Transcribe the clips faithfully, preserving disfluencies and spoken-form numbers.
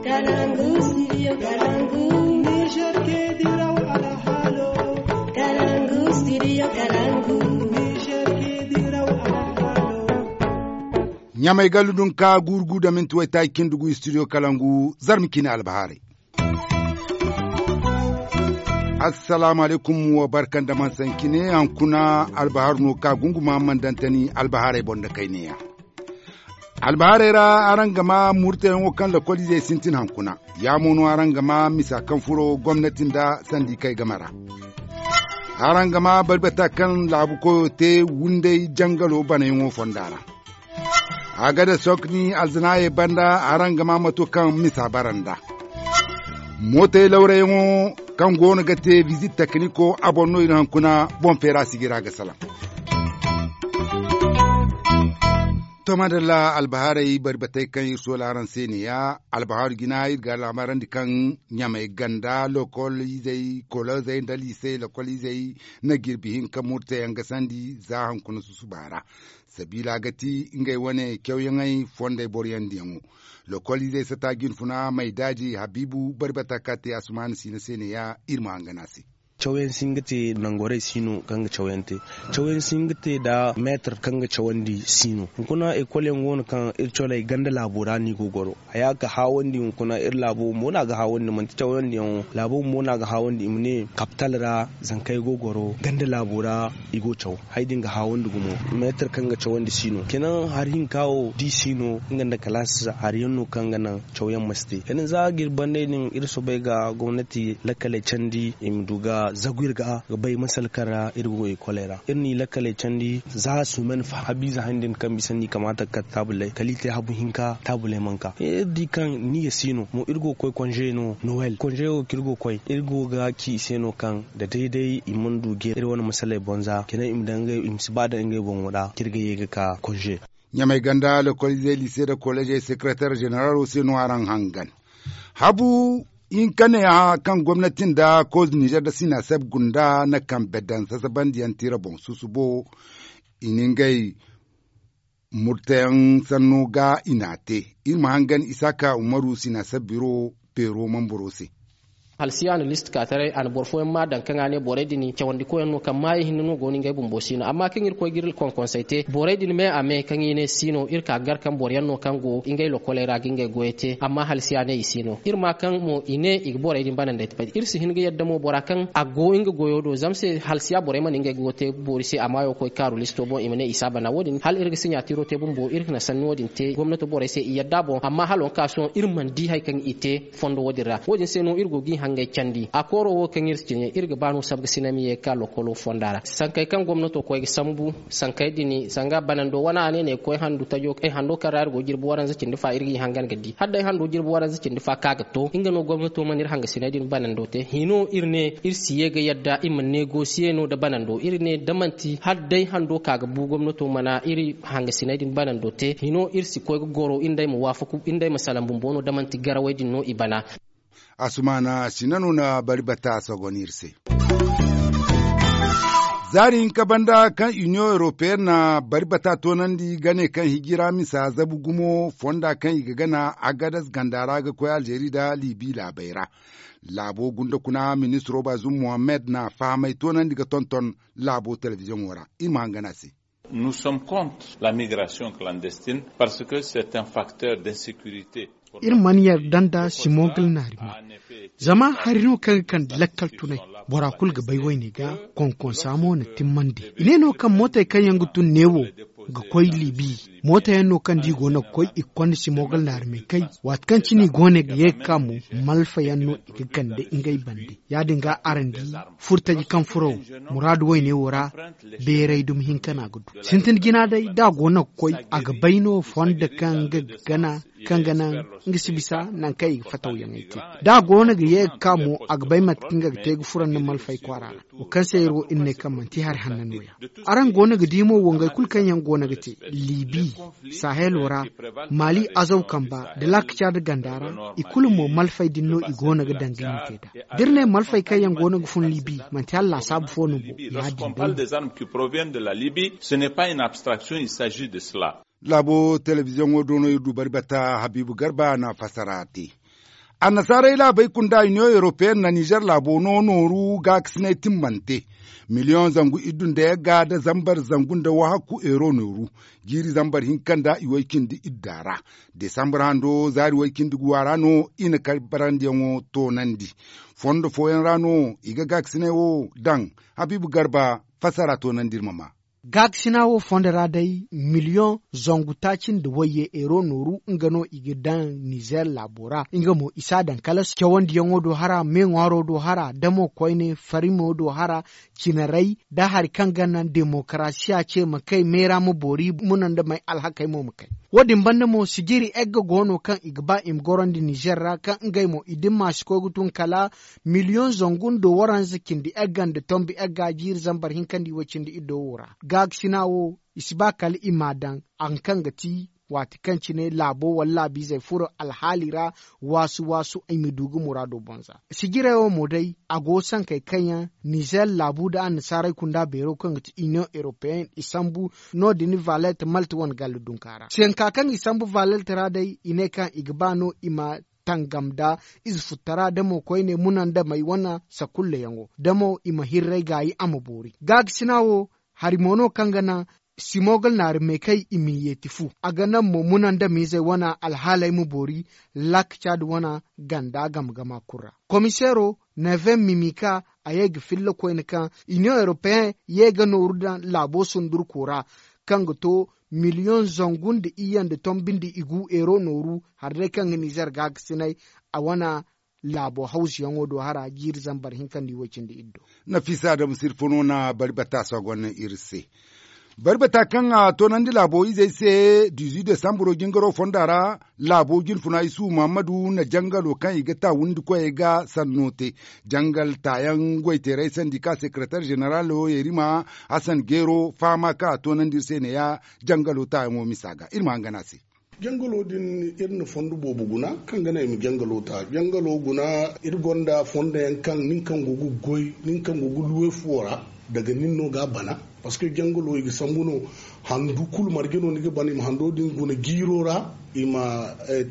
Kalangu, studio Kalangu. Niger ke diraw alhalo. Kalangu, studio Kalangu. Niger ke diraw alhalo. Ɲamay gallu dun ka gurgu da minti waytaaci cindi gu studio Kalangu, zarma cine albahaarey. Assalaamu alaykum, wa barka nda man sancine. Hankuna albahaaru no ka gunguma man dantani albahaarey boŋ da kayneya. Albahaarey ra, araŋ ga ma murtayaŋo kaŋ lokoliizey sintin hankuna. Ya mo no araŋ ga ma misa kaŋ furo gomnati nda sandi kay game ra. Araŋ ga ma barbata kaŋ laabu koyo te wunday jangalo banayaŋo fonda ra. A ga da sokni alzanaayey banda, araŋ ga ma mato kaŋ misa bara nda mootey lawrayaŋo kaŋ goono ga te bizit tekniko a boŋ no iri hankuna boŋ feera sijira ga salaŋ. To madalla, albahaarey bari batey kaŋ iri soola araŋ se neeya. Albahaaru jina iri ga alaamarandi kaŋ ɲamay ganda lokol izey kolozey nda liisey lokol izey na jirbi hinka murtayaŋ ga sandi za hankuna susuba ra. Sabiila ga ti ngey wane cawyaŋey fondey boroyandiyaŋo. Lokol izey sata jinfuna maydaaji habiibu bari bata ka te asumaana siina se neeya. Iri ma hangan a se. Cawyaŋ si hin ga te nangorey si no kaŋ ga cawyaŋ te. Cawyaŋ si hin ga te nda meetar kaŋ ga cawandi si no. Hunkuna ekol yaŋ go no kaŋ iri coley ganda laabo ra no i go ga goro. Haya ga haawandi hunkuna iri laabo bumbo no a ga haawandi manti cawandi yaŋo laabo bumbo no a ga haawandi i ma ne kapital ra. Zankey go ga goro ganda laabo ra i go ga caw. Haya din ga haawandi gumo. Meetar kaŋ ga cawandi si no kenan hari hinka wo da i si no nga nda kalaasi hari yaŋ no kaŋ ga naŋ cawyaŋ ma si te. Kala za ga iri banney din iri soobay ga gomnati lakkaley candi i ma du ga zagu iri ga ga bay masala kaŋ ra iri go ga ekoley ra iri n'i lakkaley candi. Za sumen fa habiize haŋ din kaŋ bisa no i kamaata ga kate taabuley kala i te habu hinka taabuley mana ka iri di kaŋ niya si no mo iri go ga koy konze no nowel konze wo kaŋ iri go ga koy iri go ga ci i se no kaŋ da day-day i mana du ga iri wane masaley boŋ za kala i ma si ba daŋ ngey boŋo ra kaŋ iri ga ye ga ka konze. Ɲamay ganda lokoliizey liise nda koleezey sekereteer zeneralo se no araŋ hangan. Habu hinka ne kaŋ gomnati nda koz nizer nda sinaseb gunda na kambe daŋ sasabandiyaŋ tira boŋ susubo. I na ngey murtayaŋ sanno ga i n'a te. Iri ma hangan isaaka umaru sinaseb biro peero mambaro se. Halsiya na list ka taray a na boro fooyaŋ ma daŋ kaŋ a ne borey din cawandi koyyaŋ no kaŋ maayo hinne no go no ngey bumbo si no amma kaŋ iri koy ga iri konkonsey te borey din me a me kaŋ i ne si no iri ka ga gar kaŋ boroyaŋ no kaŋ go ngey lokoley ra ga ngey goyey te amma halsiya ne i si no iri ma kaŋ mo i ne i ga borey din banandey te. Iri si hin ga yadda mo bora kaŋ a go nga goyo do zama se halsiya borey mana ngey goyo te boori se a maayo koy kaaru listo boŋ i ma ne i si a bana wo- din hala iri ga siɲatiro te bumbo iri ga na sanni wo- din te gomnato borey se i yadda boŋ amma hala wo- din ka sohõ iri mana di hari kaŋ i te fondo wo- din ra wo- din se no iri go ga i hangey candi a kooro wo kaŋ iri si cine iri ga ba no sabga sina ma ye ga ka lokolo fonda ra sankey kaŋ gomnato koy ga sambu sankey din sanga banando wane a ne no ay ga koy handu tajo ay hando kaŋ ra iri go ga jirbi waranza cindi fa iri ga i hangan ga di hala day hando jirbi waranza cindi fa kaŋ a ga to nga no gomnato mana iri hangasiney din banando te hino iri ne iri si ye ga yadda i ma negosiye no nda banando iri ne da manti hala day hando ka ga bu gomnato mana iri hangasiney din banando te hino iri si koy ga goro iri nd'ey ma waafaku iri nd'ey ma salaŋ bumbo no da manti garawey din no i bana. Asumaana sina no na bari bata sogon iri se. Zaari hinka banda kaŋ iniyoŋ europeyenne na bari bata toonandi gane kaŋ hijira misa zabu gumo fonda kaŋ i ga gana agadas ganda ra ga koy alzeeri nda libi laabey ra. Laabo gunda kuna ministiro baazum mohammed na fahamay toonandi ga tonton laabo telebiziyoŋo ra. Iri ma hangan a se. Nous sommes contre la migration clandestine parce que c'est un facteur d'insécurité. Iri mana yarda nda simogal naari ma zama hari no kaŋ ga kande lakkal tunay. Bora kulu ga bay wayne ga konkonsa mo na timmandi i ne no kaŋ mootey kaŋ yaŋ ga tun neewo ga koy libi. Mootey yaŋ no kaŋ da i go no ga koy i ga konda simogal naari ma i kay. Waati kaŋ cine i go no ga ye ga ka mo malfa yaŋ no i ga kande ngey bande. Ya- din ga araŋ di furtaji kaŋ furo muraadu wayne wo ra beeray dumi hinka no a ga du. Sintin jina day da a go no ga koy a ga bay no fondo kaŋ nga ga gana kaŋ ga naŋ nga si bisa nangu kaŋ i ga fatawyaŋey te. Da a go no ga ye ga ka mo a ga bay mate kaŋ nga ga te ga furo nda malfay kwaara ra. Wo kaŋ se iri wo iri ne kaŋ manti hari hanna no- ya. Araŋ go no ga di mo wongey kulu kaŋ yaŋ go no ga te libi sahelo ra, mali azaw kamba nda laaka caada ganda ra, i kulu mo malfey din no i go no ga daŋ ga hinka i da. Da iri ne malfey kaŋ yaŋ go no ga fun libi manti hala laasaabu fo no bo ya- din day no. Laabo telebiziyoŋo do no iri du bari bata habiibu garba na fassara te. Annasaarey laabey kunda iniyoŋ europeyen na nizer laabo no nooru gaakasinay timmante miliyoŋ zangu iddu nda yagga nda zambar zangu nda wahakku euro nooru. Jiiri zambar hinka nda i way cindi idda ra, desambar hando zaari way cindi guwa ra no i na kay barandiyaŋo toonandi. Fondo fooyaŋ ra no i ga gaakasinay wo daŋ. Habiibu garba fassara toonandi iri ma ma. Gaakasina wo fondo ra day miliyoŋ zangu taaci nda wayye euro nooru nga no i ga daŋ nizer laabo ra. Nga mo i si a daŋ kala cawandiyaŋo do hara meeŋwaaro do hara da mo koyne farimo do hara, cinarey da hari kaŋ ga naŋ demokarasiya ce ma kay meera ma boori muna nda may alhakey mo ma kay. Wo- din banda mo sijiri egga go no kaŋ i ga ba i ma gorandi nizer ra kaŋ ngey mo i dimma si koy ga tun kala miliyoŋ zangu nda waranza cindi egga nda tombi egga jiiri zambar hinka nda i way cindi iddo wo ra. Gaakasina wo i si ba kala i m'a daŋ hari kaŋ ga ti waati kaŋ cine laabo wala laabiizey furo alhaali ra. Waasu waasu i ma du ga muraado boŋ za sijirey wo mo day a go sankey kaŋ yaŋ nizer laabu nda annasaarey kunda beero kaŋ ga ti iniyoŋ europeyen i sambu. No- din valet malte wane galla dunka ra sanka kaŋ i sambu valet ra day i ne kaŋ i ga ba no i ma tangam nda ize futtara da mo koyne muna nda may wane sakulleyaŋo da mo i ma hirray gaayi a ma boori. Gaakasina wo hari mo no kaŋ ga naŋ simogal naari meekay i m'i yeeti fu a ga naŋ mo muna nda miizey wane alhaaley ma boori. Lak caadi wane ganda game gama kulu ra komiseero neven mimika a ye ga filla koyne kaŋ iniyoŋ europeyen ye ga nooru daŋ laabo sundurko ra kaŋ ga to miliyoŋ zangu nda iyye nda tombi nda igu euro nooru. Hari day kaŋ ga nizer gaakasinay a wane laabo hawzuyaŋo do hara jiiri zambar hinka nda i way cindi iddo. Nafiisa adamu sirfo no na bari bata sogon iri se. Bari bata kaŋ a toonandi laabo izey se dizu desambaro jingaro fonda ra laabo jinfuna isuhu muhammadu na jangalo kaŋ i ga ta windikoyey ga sanno te. Jangal taayaŋ goyteerey sandika sekeretar zeneralo yerima hasan geero fahama kaŋ a toonandi iri se ne ya. Jangalo taayaŋo misa ga iri ma hangan a se. Jangalo din iri na fondo boobo guna kaŋ ga naŋ i ma jangalo ta jangalo guna. Iri gonda fondo yaŋ kaŋ nin kaŋ go ga goy nin kaŋ go ga luwe fuwo ra daga nin no ga a bana. Parceque jangalo i ga sambu no handu kulu marje no ni ga bana i ma hando din guna jiiro ra i ma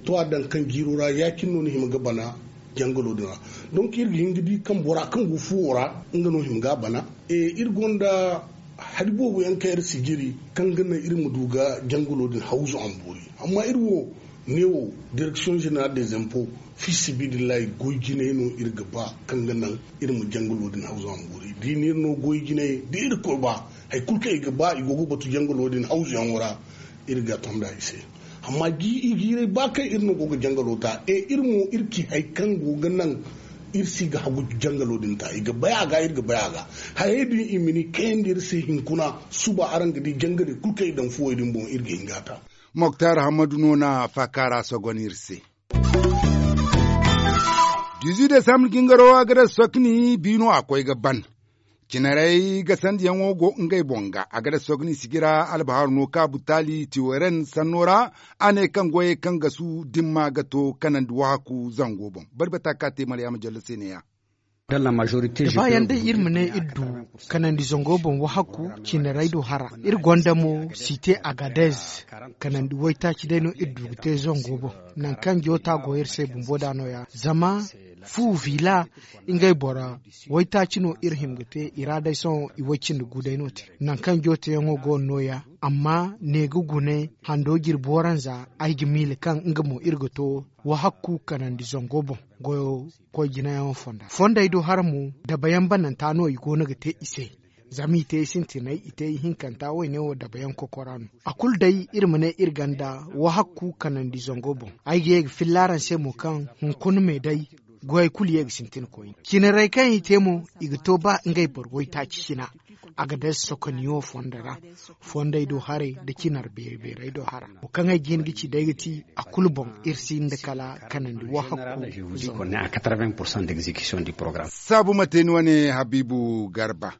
to a daŋ kaŋ jiiro ra ya- cine no ni hima ga bana. Jangalo din ra donk iri ga hin ga di kaŋ bora kaŋ go fuwo ra nga no hima ga a bana. Iri gonda hari boobo yaŋ kaŋ iri si jiri kaŋ ga naŋ iri ma du ga jangalo din hawzu a ma boori. Amma iri wo ne wo direksiyoŋ zeneral de zempo fi sibidillahi goy jinay no iri ga ba kaŋ ga naŋ iri ma jangalo din hawzu a ma boori da i ne iri no goy jinay da iri koy ba hari kulu kaŋ i ga ba i go ga batu jangalo din hawzuyaŋo ra. Iri ga tonda i se amma jiiray ba kaŋ iri no go ga jangalo ta e iri mo iri ci hari kaŋ go ga naŋ iri si ga hagu jangalo din ta i ga bay a ga iri ga bay a ga. Hayey din i ma ni kayandi iri se hinkuna suba araŋ ga di jangale kulu kaŋ i daŋ fuwey din boŋ iri ga hin ga a ta. Moktar hammadu no na faakaara sogon iri se. Dizu desambur jingaro a ga daŋ sokni bi no a koy ga ban. Cinarey gasandiyaŋo go ngey boŋ ga a ga daŋ sokni sijira albahaaru no ka butaali tiweren sanno ra. A ne kaŋ goyey kaŋ gasu dimma ga to kanandi wahaku zango boŋ. Bari bata ka te maryaama jallo se ne- ya. Da baayaŋ day iri ma ne iri du kanandi zango boŋ wahakku. Cinarey do hara iri gonda mo site agadez. Kanandi waytaaci day no iri du ga te zango boŋ. Nangu kaŋ joota go iri se bumbo da no- ya zama fu vila ngey boro waytaaci no iri hima ga te i ra day sohõ i way cindi gu day no- te. Nangu kaŋ jootayaŋo go no- ya amma ne ga gune hando jirbi waranza ay ga miila kaŋ nga mo iri ga to wahakku kanandi zango boŋ. Goyo koy jinayaŋo fonda fondey do hara mo dabayaŋ bananta no i go no ga te i se. Zama i te i sintinay i te ihinkanta wayne wo dabayaŋ kokora no. A kulu day iri ma ne iri ganda wahakku kanandi zango boŋ. Ay ga ye ga filla araŋ se mo kaŋ hunkuna me day goyey kulu ye ga sintin koyne cinarey kaŋ i te mo i ga to ba ngey boro waytaaci cina. A ga day sokoniyo fondo ra fondey do haray nda cinar beeri beerey do hara wo kaŋ ay ga hin ga ci day ga ti a kulu boŋ. Iri si nda kala kanandi wahakku. Saabu ma te ni wane habiibu garba.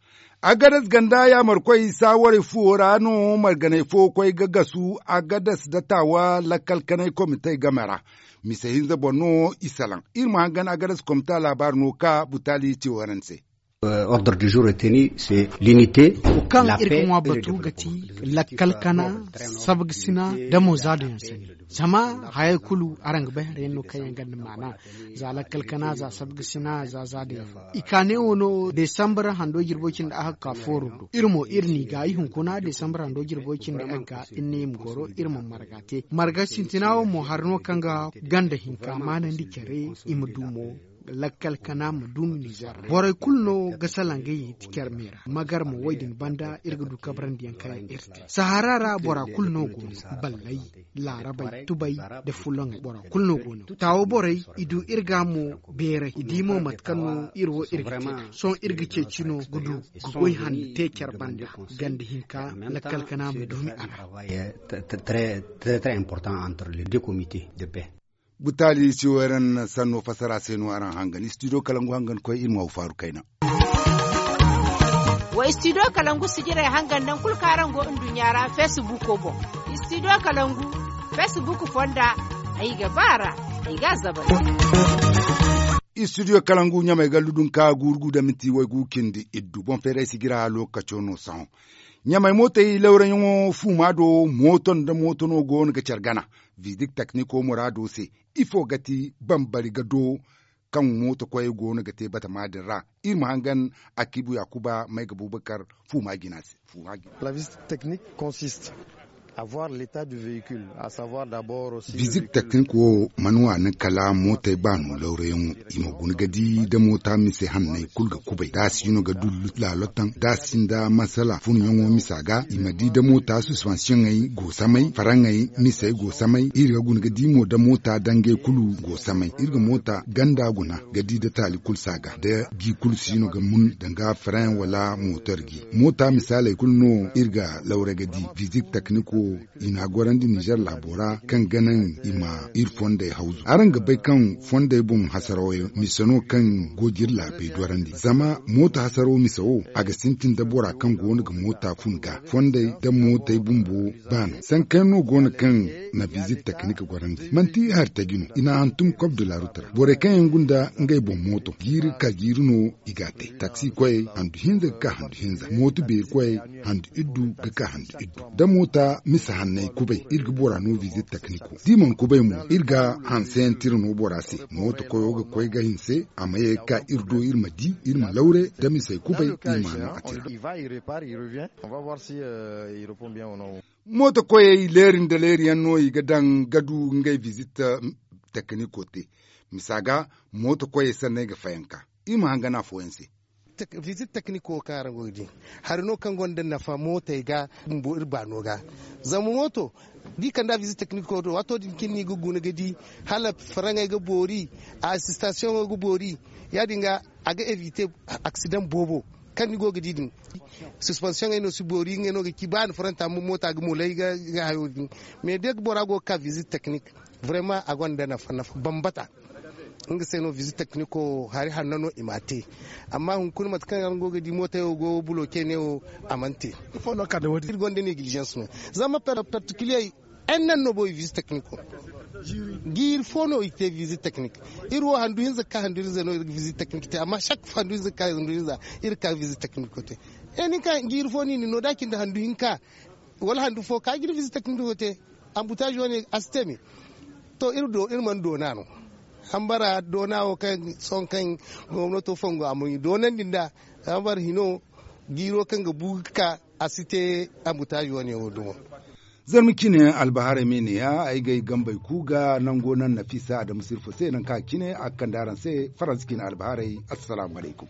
Agadas ganda yaamarkoy saawarey fuwo ra no marganey fo koy ga gasu agadas nda taawa lakkal kanay komitey game ra. Mise hinza boŋ no i salaŋ iri ma hangan agadas komita laabaari no ka butaali ce waranse. Ordre du jour retenu, c'est l'unité. Wo kaŋ iri ga ŋwa batu ga ti lakkal kana, sabgasina da mo za da yaŋ sanni. Zama hayey kulu araŋ ga bay hari yaŋ no kaŋ yaŋ gonda maana. Za lakkal kana, za sabgasina, za za da yaŋ. I ka ne wo no desambar hando jirbo cindi a hakka fooro do. Iri mo iri n'i ga i hunkuna desambar hando jirbo cindi a ga iri ne i ma goro, iri ma marga te. Marga sintina wo mo hari no kaŋ ga ganda hinka maanandi care, i ma du mo lakkal kana ma dumi nizer ra. Borey kulu no ga salaŋ ga ye ti care me ra. Magar mo wo- din banda iri ga du kabrandi yaŋ kaŋ yaŋ iri te sahara ra bora kulu no go no. Ballay, laarabay, tubay, da fuloŋey bora kulu no go no. Taawo borey, i du iri ga mo beeray, i di mo mate kaŋ no iri wo iri ga te. Sohõ iri ga ceeci no ga du ga goy hande te care banda. Ganda hinka lakkal kana ma dumi a ra. Très très important entre les deux comités de paix. Butaali siwayran sanno fassara se no araŋ hangan studio kalangu hangan koy iri ma wa faaru kayna. Wa studio kalangu sijirey hangan naŋ kulu kaŋ araŋ go nduɲɲa ra facebook boŋ. Studio kalangu facebook fonda, ay ga ba a ra, ay ga a zabal. Studio kalangu ɲamey gallu dunka guuru gu da minti waygu cindi iddu boŋ feeray sijira lokaco no sohõ. Ɲamey mootey lawrayaŋo fuuma do mooto nda mooto no go no ga care gana. Vizik tekniko muraado se, ifo ga ti bambari ga do kaŋ mooto koyey go no ga te batama din ra? Iri ma hangan akibu yaakuba may ga bubakar fuuma jina se. Fuuma jina. Vizik teknik wo mana waani kala mootey baano lawrayaŋo, i ma guna ga di da moota mise hanney kulu ga kubay da a si no ga du laalotaŋ da a sinda masala funyaŋo misa ga i ma di da moota suspansiyoŋey go samay faraŋey misey go samay iri ga guna ga di mo da moota dangey kulu go samay iri ga moota ganda guna ga di da taali kulu saaga da gi kulu siino ga mun danga faraŋ wala mootor gi. Moota misaaley kulu no iri ga lawra ga di vizik teknik wo i n'a gorandi nizer laabo ra kaŋ ga naŋ i ma iri fondey hawzu araŋ ga bay kaŋ fondey boŋ hasaraw yaŋ mise no kaŋ go ga iri laabey dorandi zama mooto hasaraw mise wo a ga sintin da bora kaŋ go no ga moota fun ga fondey da mootey bumbo baano sankayaŋ no go no kaŋ na vizik teknik gorandi manti hari taji no i n'a hantum kob de la rut ra borey kaŋ yaŋ gunda ngey boŋ mooto jiiri ka jiiri no i g'a te taksi koyey handu hinza ga ka handu hinza mooto beeri koyey handu iddu ga ka handu iddu da moota misa hanney kubay iri ga bora no visit tekniko da i mana kubay mo iri ga hanseyaŋ tira no bora se mooto koyo ga koy ga hinse a ma ye ga ka iri do iri ma di iri ma lawre da misey kubay iri ma no a tira mooto koyey leeri nda leeri yaŋ no i ga daŋ ga du ngey visit tekniko te misa ga mooto koyey sanney ga fayanka iri ma hangan afooyaŋ se visit tekniko kaŋ araŋ go ga di hari no kaŋ gonda nafa mootey ga bumbo iri baano ga zama mooto da i kand'a visit tekniko do waato din cine no i ga guna ga di hala faraŋey ga boori asistasiyoŋo ga boori ya- din ga a ga evite aksidaŋ boobo kaŋ ni go ga di din suspansiyoŋey no si boori ngey no ga ci ba ni faranta amma moota ga moolay ga hayo din mais da bora go ga ka visit teknik vrema a gonda nafa nafa bambata nga se no visit tekniko hari hanno no i m'a te amma hunkuna mate kaŋ araŋ go ga di mootey wo go buloke ne wo a mana te iri gonda negligence no zama particulier en nan no bo i visit tekniko jiiri fo no i te visit teknik iri wo handu hinza ga ka handu hinza no iri ga visit teknik te amma chaque fois handu hinza ga ka handu hinza iri ga ka visit tekniko te e nin ka jiiri fo no i na no da a cindi handu hinka wala handu fo ka jiri visit tekniko te ambutaazi wane a si te me to iri mana doona no hambara doona wo kaŋ sohõ kaŋ gomnato fongo a ma i doonandi nda hambara hino jiiro kaŋ ga bu ga ka a si te ambutaazi wane wo dumo zarma cine albaharay me ne ya ay ga ay gambey ku ga nango naŋ nafisa adamu sirfo se naŋ kaŋ a cine a ga kande araŋ se faransa cine albaharay assalaamu alaykum